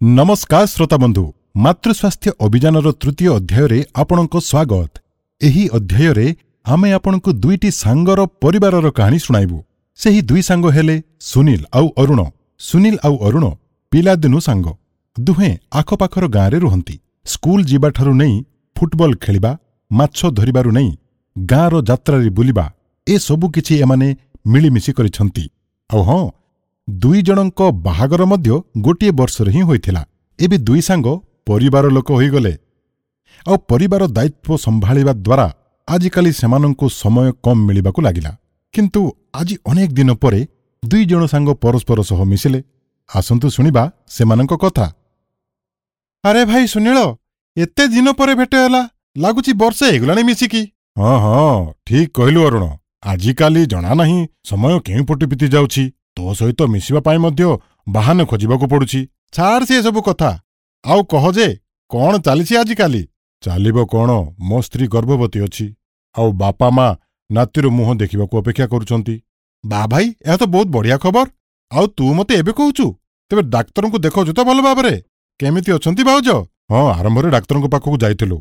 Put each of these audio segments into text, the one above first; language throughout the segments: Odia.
ନମସ୍କାର ଶ୍ରୋତାବନ୍ଧୁ, ମାତୃସ୍ୱାସ୍ଥ୍ୟ ଅଭିଯାନର ତୃତୀୟ ଅଧ୍ୟାୟରେ ଆପଣଙ୍କ ସ୍ୱାଗତ। ଏହି ଅଧ୍ୟାୟରେ ଆମେ ଆପଣଙ୍କୁ ଦୁଇଟି ସାଙ୍ଗର ପରିବାରର କାହାଣୀ ଶୁଣାଇବୁ। ସେହି ଦୁଇ ସାଙ୍ଗ ହେଲେ ସୁନୀଲ ଆଉ ଅରୁଣ। ସୁନୀଲ ଆଉ ଅରୁଣ ପିଲାଦିନୁ ସାଙ୍ଗ। ଦୁହେଁ ଆଖପାଖର ଗାଁରେ ରୁହନ୍ତି। ସ୍କୁଲ ଯିବାଠାରୁ ନେଇ ଫୁଟବଲ ଖେଳିବା, ମାଛ ଧରିବାରୁ ନେଇ ଗାଁର ଯାତ୍ରାରେ ବୁଲିବା, ଏସବୁ କିଛି ଏମାନେ ମିଳିମିଶି କରିଛନ୍ତି। ଆଉ ହଁ, ଦୁଇ ଜଣଙ୍କ ବାହାଘର ମଧ୍ୟ ଗୋଟିଏ ବର୍ଷରେ ହିଁ ହୋଇଥିଲା। ଏବେ ଦୁଇ ସାଙ୍ଗ ପରିବାର ଲୋକ ହୋଇଗଲେ, ଆଉ ପରିବାର ଦାୟିତ୍ୱ ସମ୍ଭାଳିବା ଦ୍ୱାରା ଆଜିକାଲି ସେମାନଙ୍କୁ ସମୟ କମ୍ ମିଳିବାକୁ ଲାଗିଲା। କିନ୍ତୁ ଆଜି ଅନେକ ଦିନ ପରେ ଦୁଇ ଜଣ ସାଙ୍ଗ ପରସ୍ପର ସହ ମିଶିଲେ। ଆସନ୍ତୁ ଶୁଣିବା ସେମାନଙ୍କ କଥା। ଆରେ ଭାଇ ସୁନୀଳ, ଏତେ ଦିନ ପରେ ଭେଟ ହେଲା, ଲାଗୁଛି ବର୍ଷେ ହେଇଗଲାଣି ମିଶିକି। ହଁ ହଁ, ଠିକ୍ କହିଲୁ ଅରୁଣ। ଆଜିକାଲି ଜଣା ନାହିଁ ସମୟ କେଉଁ ପଟେ ବିତି ଯାଉଛି। ତୋ ସହିତ ମିଶିବା ପାଇଁ ମଧ୍ୟ ବାହାନ ଖୋଜିବାକୁ ପଡୁଛି। ଛାଡ଼ ସେ ସବୁ କଥା, ଆଉ କହ ଯେ କଣ ଚାଲିଛି ଆଜିକାଲି? ଚାଲିବ କଣ, ମୋ ସ୍ତ୍ରୀ ଗର୍ଭବତୀ ଅଛି, ଆଉ ବାପା ମା ନାତିର ମୁହଁ ଦେଖିବାକୁ ଅପେକ୍ଷା କରୁଛନ୍ତି। ବା ଭାଇ, ଏହା ତ ବହୁତ ବଢ଼ିଆ ଖବର। ଆଉ ତୁ ମତେ ଏବେ କହୁଛୁ? ତେବେ ଡାକ୍ତରଙ୍କୁ ଦେଖାଉଛୁ ତ ଭଲ ଭାବରେ? କେମିତି ଅଛନ୍ତି ଭାଉଜ? ହଁ, ଆରମ୍ଭରେ ଡାକ୍ତରଙ୍କ ପାଖକୁ ଯାଇଥିଲୁ।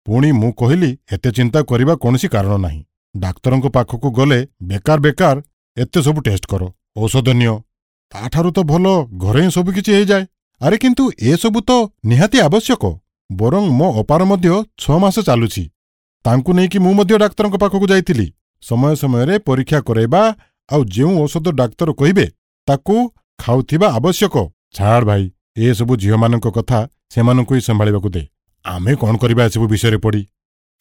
ପୁଣି ମୁଁ କହିଲି ଏତେ ଚିନ୍ତା କରିବା କୌଣସି କାରଣ ନାହିଁ। ଡାକ୍ତରଙ୍କ ପାଖକୁ ଗଲେ ବେକାର ବେକାର ଏତେ ସବୁ ଟେଷ୍ଟ କର, ଔଷଧ ନିଅ, ତାଠାରୁ ତ ଭଲ ଘରେ ହିଁ ସବୁକିଛି ହେଇଯାଏ। ଆରେ କିନ୍ତୁ ଏସବୁ ତ ନିହାତି ଆବଶ୍ୟକ। ବରଂ ମୋ ଅପାର ମଧ୍ୟ 6 ମାସ ଚାଲୁଛି, ତାଙ୍କୁ ନେଇକି ମୁଁ ମଧ୍ୟ ଡାକ୍ତରଙ୍କ ପାଖକୁ ଯାଇଥିଲି। ସମୟ ସମୟରେ ପରୀକ୍ଷା କରାଇବା ଆଉ ଯେଉଁ ଔଷଧ ଡାକ୍ତର କହିବେ ତାକୁ ଖାଉଥିବା ଆବଶ୍ୟକ। ଛାଡ଼ ଭାଇ, ଏସବୁ ଝିଅମାନଙ୍କ କଥା ସେମାନଙ୍କୁ ହିଁ ସମ୍ଭାଳିବାକୁ ଦେ। ଆମେ କଣ କରିବା ଏସବୁ ବିଷୟରେ ପଡ଼ି?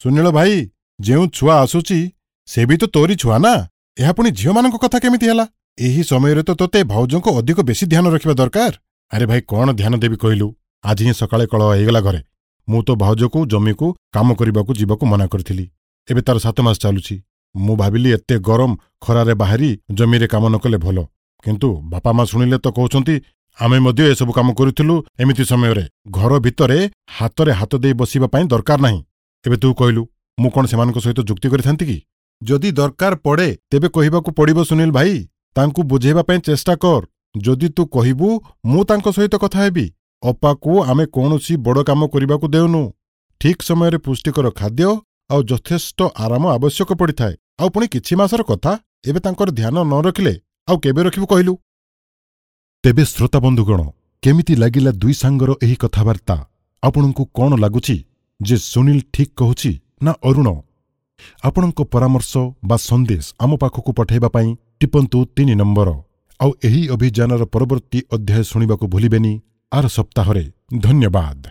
ସୁନୀଳ ଭାଇ, ଯେଉଁ ଛୁଆ ଆସୁଛି ସେ ବି ତ ତୋରି ଛୁଆ ନା? ଏହା ପୁଣି ଝିଅମାନଙ୍କ କଥା କେମିତି ହେଲା? ଏହି ସମୟରେ ତ ତୋତେ ଭାଉଜଙ୍କ ଅଧିକ ବେଶୀ ଧ୍ୟାନ ରଖିବା ଦରକାର। ଆରେ ଭାଇ, କଣ ଧ୍ୟାନ ଦେବି କହିଲୁ? ଆଜି ହିଁ ସକାଳେ କଳହ ହେଇଗଲା ଘରେ। ମୁଁ ତ ଭାଉଜକୁ ଜମିକୁ କାମ କରିବାକୁ ଯିବାକୁ ମନା କରିଥିଲି। ଏବେ ତାର 7 ମାସ ଚାଲୁଛି। ମୁଁ ଭାବିଲି ଏତେ ଗରମ ଖରାରେ ବାହାରି ଜମିରେ କାମ ନ କଲେ ଭଲ। କିନ୍ତୁ ବାପା ମା ଶୁଣିଲେ ତ କହୁଛନ୍ତି ଆମେ ମଧ୍ୟ ଏସବୁ କାମ କରୁଥିଲୁ ଏମିତି ସମୟରେ। ଘର ଭିତରେ ହାତରେ ହାତ ଦେଇ ବସିବା ପାଇଁ ଦରକାର ନାହିଁ। ଏବେ ତୁ କହିଲୁ, ମୁଁ କଣ ସେମାନଙ୍କ ସହିତ ଯୁକ୍ତି କରିଥାନ୍ତି କି? ଯଦି ଦରକାର ପଡ଼େ ତେବେ କହିବାକୁ ପଡ଼ିବ। ସୁନୀଲ ଭାଇ, ତାଙ୍କୁ ବୁଝେଇବା ପାଇଁ ଚେଷ୍ଟା କର। ଯଦି ତୁ କହିବୁ ମୁଁ ତାଙ୍କ ସହିତ କଥା ହେବି। ଅପାକୁ ଆମେ କୌଣସି ବଡ଼ କାମ କରିବାକୁ ଦେଉନୁ। ଠିକ୍ ସମୟରେ ପୁଷ୍ଟିକର ଖାଦ୍ୟ ଆଉ ଯଥେଷ୍ଟ ଆରାମ ଆବଶ୍ୟକ ପଡ଼ିଥାଏ। ଆଉ ପୁଣି କିଛି ମାସର କଥା, ଏବେ ତାଙ୍କର ଧ୍ୟାନ ନ ରଖିଲେ ଆଉ କେବେ ରଖିବୁ କହିଲୁ? ତେବେ ଶ୍ରୋତା ବନ୍ଧୁଗଣ, କେମିତି ଲାଗିଲା ଦୁଇ ସାଙ୍ଗର ଏହି କଥାବାର୍ତ୍ତା? ଆପଣଙ୍କୁ କଣ ଲାଗୁଛି ଯେ ସୁନୀଲ ଠିକ୍ କହୁଛି ନା ଅରୁଣ? ଆପଣଙ୍କ ପରାମର୍ଶ ବା ସନ୍ଦେଶ ଆମ ପାଖକୁ ପଠାଇବା ପାଇଁ ଟିପନ୍ତୁ 3 ନମ୍ବର। ଆଉ ଏହି ଅଭିଯାନର ପରବର୍ତ୍ତୀ ଅଧ୍ୟାୟ ଶୁଣିବାକୁ ଭୁଲିବେନି ଆର ସପ୍ତାହରେ। ଧନ୍ୟବାଦ।